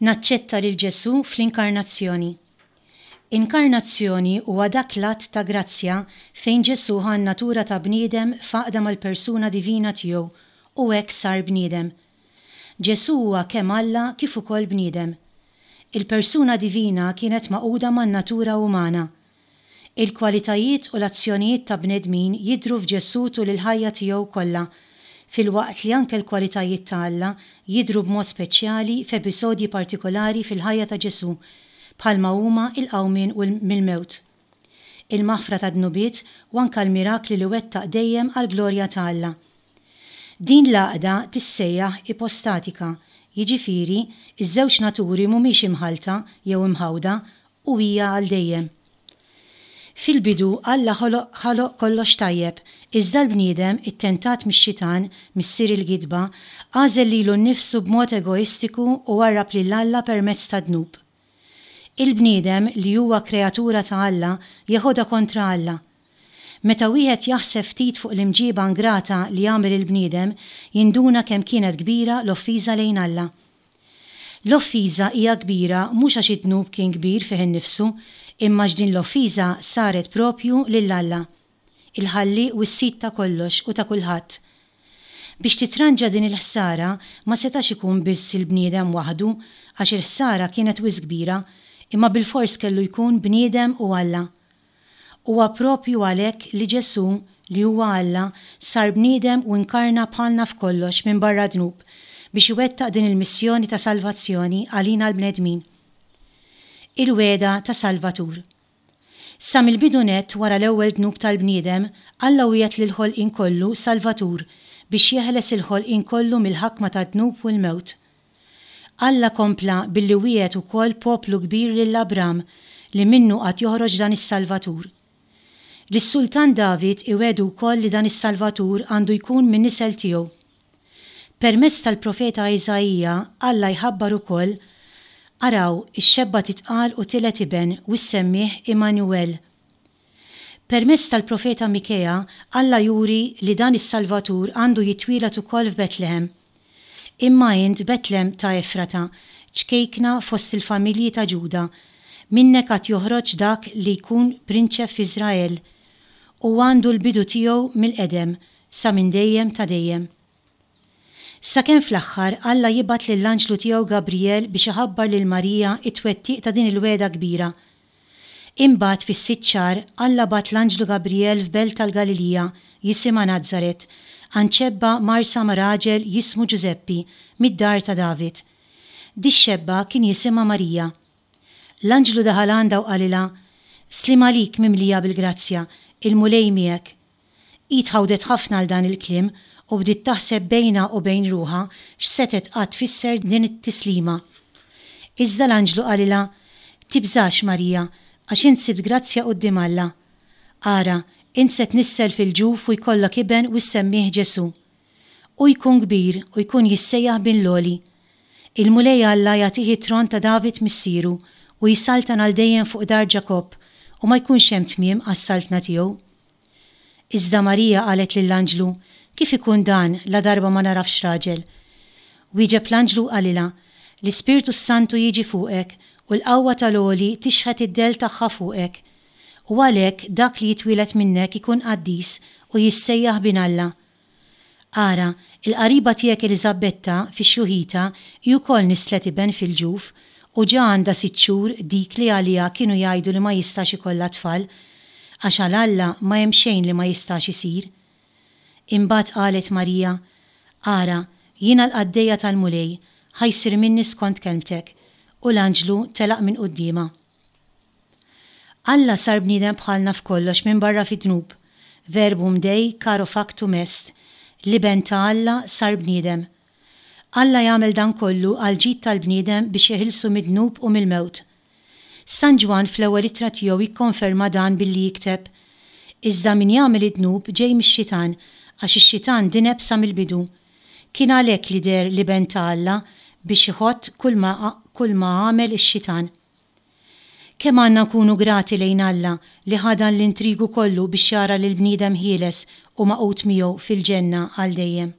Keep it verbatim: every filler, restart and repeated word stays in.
Naċċetta lil Ġesù fl-Inkarnazzjoni. Inkarnazzjoni huwa dak l-att ta' grazzja fejn Ġesù ħa n-natura ta' bniedem f'għaqda mal-persuna divina tiegħu u hekk sar bniedem. Ġesù huwa kemm Alla kif ukoll bniedem. Il-persuna divina kienet magħquda man-natura umana. Il-kwalitajiet u l-azzjonijiet ta' bnedmin jidhru f'Ġesù tul il-ħajja tiegħu kollha, filwaqt li anke l-kwalitajiet ta' Alla jidhru b'mod speċjali f'episodji partikolari fil-ħajja ta' Ġesù, bħalma huma l-qawmien mill-mewt, il-maħfra tad-dnubiet u anke l-mirakli li wettaq dejjem għall-glorja ta' Alla. Din l-għaqda tissejjaħ ipostatika, jiġifieri ż-żewġ naturi mhumiex imħallta jew imħawda u hija għal dejjem. Fil-bidu Alla ħoloq kollox tajjeb, iżda l-bniedem, ittentat mix-xitan, missier il-gidba, għażel lilu nnifsu b'mod egoistiku u warrab lil Alla permezz tad-dnub. Il-bniedem, li huwa kreatura ta' Alla, jeħodha kontra Alla. Meta wieħed jaħseb ftit fuq l-imġiba ingrata li għamel il-bniedem, jinduna kemm kienet kbira l-offiża lejn Alla. L-offiża hija kbira mhux għax id-dnub kien kbir fih innifsu, imma għax din l-offiża saret propju lil Alla, il-Ħallieq u s-Sid ta' kollox u ta' kulħadd. Biex titranġa din il-ħsara ma setax ikun biss il-bniedem waħdu għax il-ħsara kienet wisq kbira, imma bilfors kellu jkun bniedem u Alla. Huwa propju għalhekk li Ġesù, li huwa Alla, sar bniedem u inkarna bħalna f'kollox minbarra dnub, biex iwettaq din il-missjoni ta' salvazzjoni għalina l-bnedmin. Il-wegħda ta' Salvatur. Sa mill-bidu nett wara l-ewwel dnub tal-bniedem, Alla wiegħed lill-ħolqien kollu Salvatur biex jeħles il-ħolqien kollu mill-ħakma tad-dnub u l-mewt. Alla kompla billi wiegħed ukoll poplu kbir lil Abram li minnu għad joħroġ dan is-Salvatur. Lis-Sultan David iwiegħdu wkoll li dan is-Salvatur għandu jkun min-nisel tiegħu. Permezz tal-profeta Iżaija, Alla jħabbar ukoll, Araw, ix-xebba titqal u tiled iben u ssemmih Immanuel. Permezz tal-profeta Mikea, Alla juri li dan is-Salvatur għandu jitwieled ukoll f'Betlehem. Imma int, Betlem ta' Efrata, ċkejkna fost il-familji ta' Ġuda, minnek għad joħroġ dak li jkun prinċep f'Iżrael, u għandu l-bidu tiegħu mill-qedem, sa minn dejjem ta' dejjem. Sakemm fl-aħħar Alla jibgħat lill-anġlu tiegħu Gabrijel biex iħabbar lil Marija t-twettiq ta' din il-wegħda kbira. Imbagħad fis-sitt xahar Alla bagħat l-anġlu Gabrijel f'belt tal-Galilija jisimha Nazaret, għand xebba mgħarrsa ma' raġel jismu Ġużeppi, mid-dar ta' David. Dix-xebba kien jisimha Marija. L-anġlu daħal għandha u qalilha, Sliem għalik mimlija bil-grazzja, il-Mulej miegħek. Hi tħawdet ħafna għal dan il-kliem u bdiet taħseb bejnha u bejn ruħha x'setgħet qatt tfisser din it-tislima. Iżda l-anġlu qalilha, Tibżax, Marija, għax int sibt grazzja quddiem Alla. Ara, int se tnissel fil-ġuf u jkollok iben u ssemmih Ġesù. Hu jkun kbir u jkun jissejjaħ Bin l-Għoli. Il-Mulej Alla jagħtih it-tron ta' David missieru u jsaltan għal dejjem fuq dar Ġakobb u ma jkunx hemm tmiem għas-saltna tiegħu. Iżda Marija qalet lill-anġlu, Kif ikun dan, ladarba ma nagħrafx raġel? Wieġeb l-anġlu u qalilha, L-Ispirtu s-Santu jiġi fuqek, u l-qawwa tal-Għoli tixħet id-dell tagħha fuqek. U għalhekk dak li jitwieled minnek ikun qaddis u jissejjaħ Bin Alla. Ara, il-qariba tiegħek Eliżabetta, fi xjuħitha, hi wkoll nisslet iben fil-ġuf, u ġa għandha sitt xhur dik li għaliha kienu jgħidu li ma jistax ikollha tfal, għax għal Alla ma hemm xejn li ma jistax isir. Imbagħad qalet Marija, Ara, jiena l-qaddejja tal-Mulej, ħa jsir minni skont kelmtek. U l-anġlu telaq minn quddiemha. Alla sar bniedem bħalna f'kollox minbarra fid-dnub. Verbum Dei caro factum est, l-Iben ta' Alla sar bniedem. Alla jagħmel dan kollu għall-ġid tal-bniedem biex jeħilsu mid-dnub u mill-mewt. San Ġwann fl-ewwel ittra tiegħu jikkonferma dan billi jikteb, Iżda min jagħmel id-dnub ġej mix-xitan, għax ix-xitan dineb sa mill-bidu. Kien għalhekk li deher l-Iben ta' Alla biex iħott kulma kulma għamel ix-xitan. Kemm għandna nkunu grati lejn Alla li ħa dan l-intrigu kollu biex jara lill-bniedem ħieles u magħqud miegħu fil-ġenna għal dejjem.